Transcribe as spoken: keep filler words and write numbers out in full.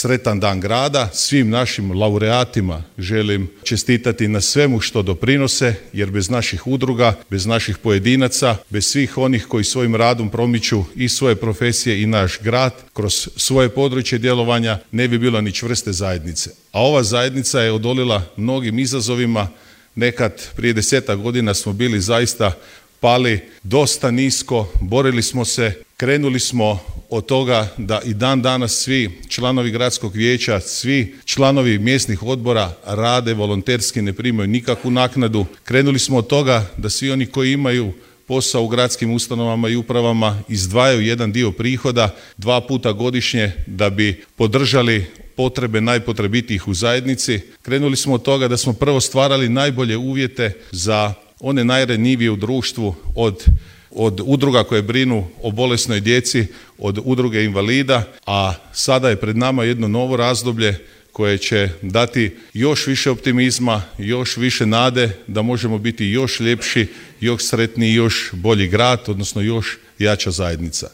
sretan dan grada. Svim našim laureatima želim čestitati na svemu što doprinose, jer bez naših udruga, bez naših pojedinaca, bez svih onih koji svojim radom promiču i svoje profesije i naš grad kroz svoje područje djelovanja, ne bi bilo ni čvrste zajednice. A ova zajednica je odolila mnogim izazovima. Nekad prije desetak godina smo bili zaista pali dosta nisko, borili smo se, krenuli smo od toga da i dan danas svi članovi gradskog vijeća, svi članovi mjesnih odbora rade volonterski, ne primaju nikakvu naknadu. Krenuli smo od toga da svi oni koji imaju posao u gradskim ustanovama i upravama izdvajaju jedan dio prihoda dva puta godišnje da bi podržali potrebe najpotrebitijih u zajednici. Krenuli smo od toga da smo prvo stvarali najbolje uvjete za one najranjivije u društvu, od, od udruga koje brinu o bolesnoj djeci, od udruge invalida, a sada je pred nama jedno novo razdoblje koje će dati još više optimizma, još više nade da možemo biti još ljepši, još sretniji, još bolji grad, odnosno još jača zajednica.